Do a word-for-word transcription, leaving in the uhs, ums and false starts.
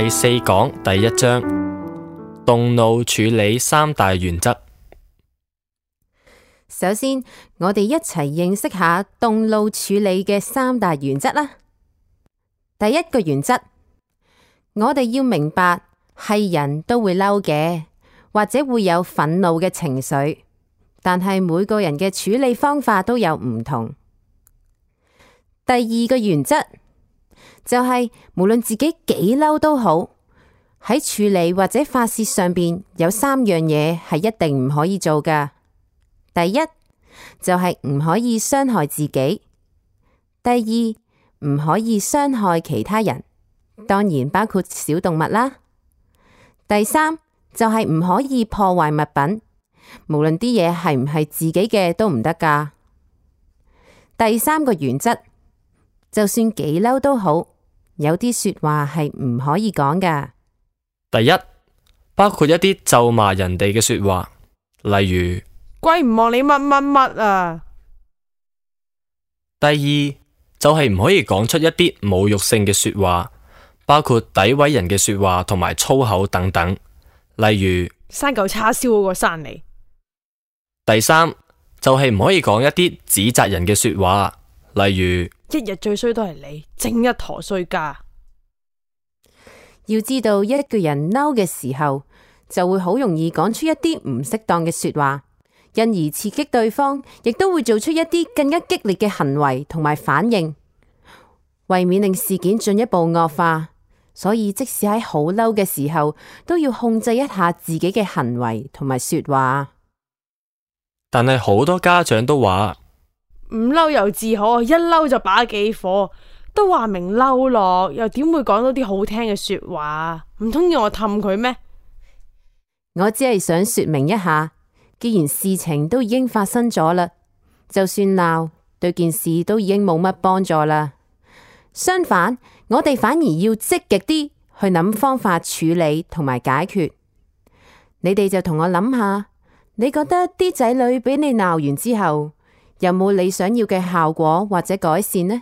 第四講第一章，動怒處理三大原則。首先，我哋一齊認識下動怒處理嘅三大原則啦。第一個原則，我哋要明白係人都會嬲嘅，或者會有憤怒嘅情緒，但係每個人嘅處理方法都有唔同。第二個原則就係無論自己幾嬲都好，喺處理或者發洩上邊有三樣嘢係一定唔可以做㗎。第一就係唔可以傷害自己，第二唔可以傷害其他人，當然包括小動物啦。第三就係唔可以破壞物品，無論啲嘢係唔係自己嘅都唔得㗎。第三個原則，就算幾嬲都好，有啲說話係唔可以講㗎。第一，包括一啲咒罵人哋嘅說話，例如鬼唔望你乜乜乜啊。第二就係唔可以講出一啲侮辱性嘅說話，包括詆毀人嘅說話同埋粗口等等，例如生嚿叉燒嗰個生你。第三就係唔可以講一啲指責人嘅說話，例如一日最衰都係你，正一陀衰家。要知道一個人嬲嘅時候，就會好容易講出一啲唔適當嘅說話，因而刺激對方，亦都會做出一啲更加激烈嘅行為同埋反應，為免令事件進一步惡化，所以即使喺好嬲嘅時候，都要控制一下自己嘅行為同埋說話。但係好多家長都話唔嬲又自可，一嬲就把幾火，都話明嬲咯，又點會講到啲好聽嘅說話？唔通要我氹佢咩？我只係想說明一下，既然事情都已經發生咗啦，就算鬧對件事都已經冇乜幫助啦。相反，我哋反而要積極啲去諗方法處理同埋解決。你哋就同我諗下，你覺得啲仔女俾你鬧完之後，有冇你想要嘅效果或者改善呢？